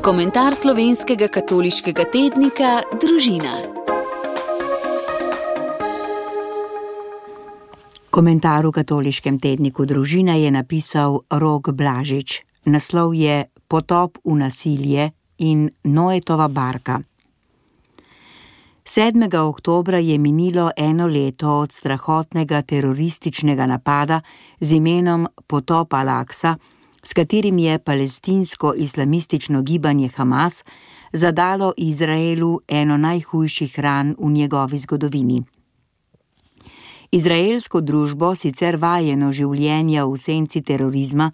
Komentar slovenskega katoliškega tednika Družina. Komentar v katoliškem tedniku Družina je napisal Rok Blažič. Naslov je Potop v nasilje in Noetova barka. 7. oktobra je minilo 1 leto od strahotnega terorističnega napada z imenom Potop al-Aqsa, s katerim je palestinsko-islamistično gibanje Hamas zadalo Izraelu eno najhujših ran v njegovi zgodovini. Izraelsko družbo, sicer vajeno življenja v senci terorizma,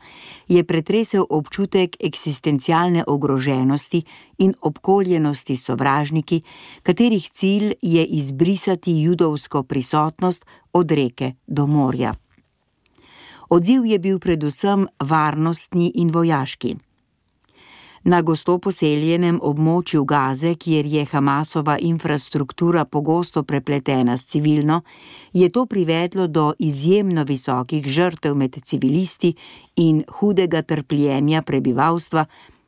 je pretresel občutek eksistencialne ogroženosti in obkoljenosti s sovražniki, katerih cilj je izbrisati judovsko prisotnost od reke do morja. Odziv je bil predvsem varnostni in vojaški. Na gosto poseljenem območju Gaze, kjer je Hamasova infrastruktura pogosto prepletena s civilno, je to privedlo do izjemno visokih žrtev med civilisti in hudega trpljenja prebivalstva,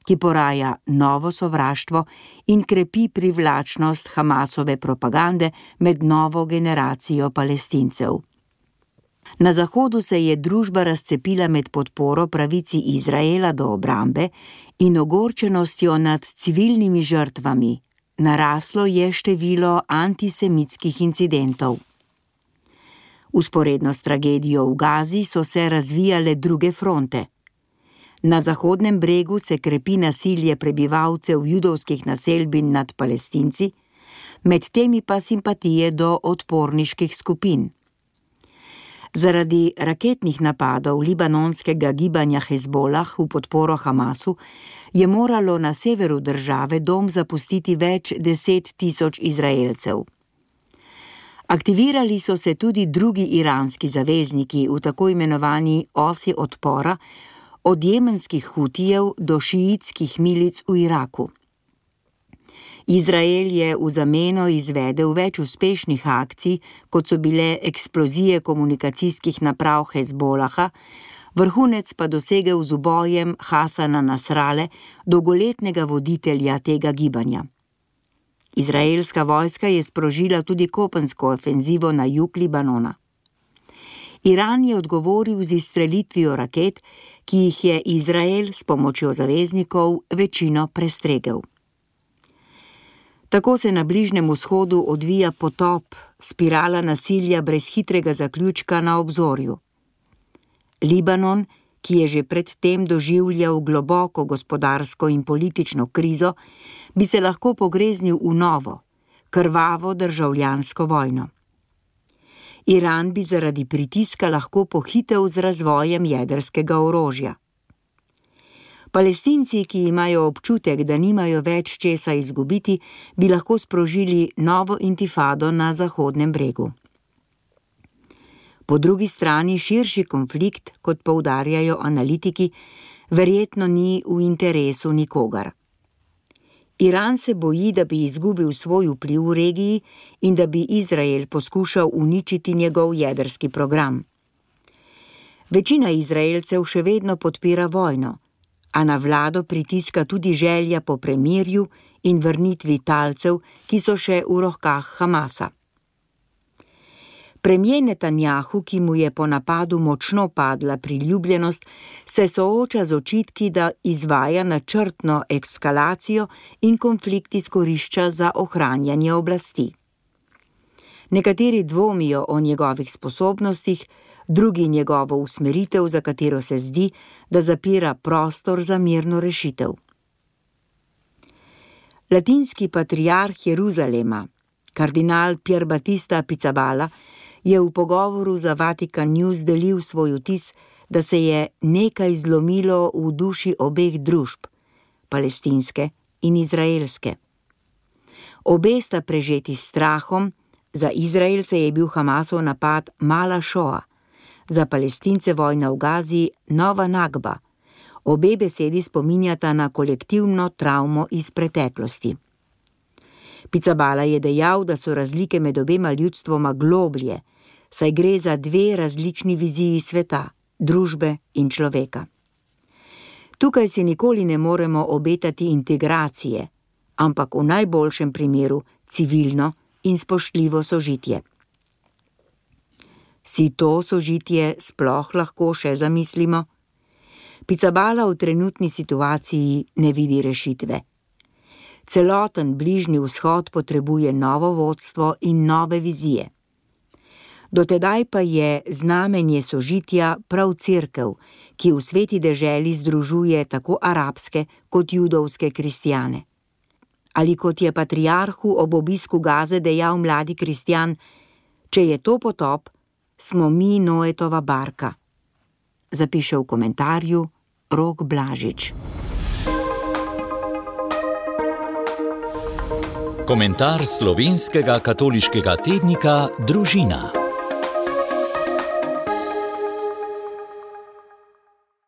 ki poraja novo sovraštvo in krepi privlačnost Hamasove propagande med novo generacijo Palestincev. Na Zahodu se je družba razcepila med podporo pravici Izraela do obrambe in ogorčenostjo nad civilnimi žrtvami. Naraslo je število antisemitskih incidentov. Vzporedno s tragedijo v Gazi so se razvijale druge fronte. Na Zahodnem bregu se krepi nasilje prebivalcev judovskih naselbin nad Palestinci, med temi pa simpatije do odporniških skupin. Zaradi raketnih napadov libanonskega gibanja Hezbolah v podporo Hamasu je moralo na severu države dom zapustiti več 10 tisoč Izraelcev. Aktivirali so se tudi drugi iranski zavezniki v tako imenovani osi odpora, od jemenskih Hutijev do šiitskih milic v Iraku. Izrael je v zameno izvedel več uspešnih akcij, kot so bile eksplozije komunikacijskih naprav Hezbolaha, vrhunec pa dosegel z ubojem Hasana Nasrale, dolgoletnega voditelja tega gibanja. Izraelska vojska je sprožila tudi kopensko ofenzivo na jug Libanona. Iran je odgovoril z izstrelitvijo raket, ki jih je Izrael s pomočjo zaveznikov večino prestregel. Tako se na Bližnjem vzhodu odvija potop, spirala nasilja brez hitrega zaključka na obzorju. Libanon, ki je že pred tem doživljal globoko gospodarsko in politično krizo, bi se lahko pogreznil v novo, krvavo državljansko vojno. Iran bi zaradi pritiska lahko pohitel z razvojem jedrskega orožja. Palestinci, ki imajo občutek, da nimajo več česa izgubiti, bi lahko sprožili novo intifado na Zahodnem bregu. Po drugi strani širši konflikt, kot poudarjajo analitiki, verjetno ni v interesu nikogar. Iran se boji, da bi izgubil svoj vpliv v regiji in da bi Izrael poskušal uničiti njegov jedrski program. Večina Izraelcev še vedno podpira vojno, a na vlado pritiska tudi želja po premirju in vrnitvi talcev, ki so še v rokah Hamasa. Premier Netanjahu, ki mu je po napadu močno padla priljubljenost, se sooča z očitki, da izvaja načrtno eskalacijo in konflikt izkorišča za ohranjanje oblasti. Nekateri dvomijo o njegovih sposobnostih, drugi njegovo usmeritev, za katero se zdi, da zapira prostor za mirno rešitev. Latinski patriarh Jeruzalema, kardinal Pier Battista Pizzaballa, je v pogovoru za Vatikan News delil svoj vtis, da se je nekaj zlomilo v duši obeh družb, palestinske in izraelske. Obe sta prežeti s strahom, za Izraelce je bil Hamasov napad mala šoa, za Palestince vojna v Gazi nova Nakba. Obe besedi spominjata na kolektivno travmo iz preteklosti. Pizzaballa je dejal, da so razlike med obema ljudstvoma globlje, saj gre za dve različni viziji sveta, družbe in človeka. Tukaj si nikoli ne moremo obetati integracije, ampak v najboljšem primeru civilno in spoštljivo sožitje. Si to sožitje sploh lahko še zamislimo? Pizzaballa v trenutni situaciji ne vidi rešitve. Celoten Bližnji vzhod potrebuje novo vodstvo in nove vizije. Dotedaj pa je znamenje sožitja prav cerkev, ki v sveti deželi združuje tako arabske kot judovske kristjane. Ali kot je patriarhu ob obisku Gaze dejal mladi kristjan, če je to potop, smo mi Noetova barka. Zapiše v komentarju Rok Blažič. Komentar slovenskega katoliškega tednika Družina.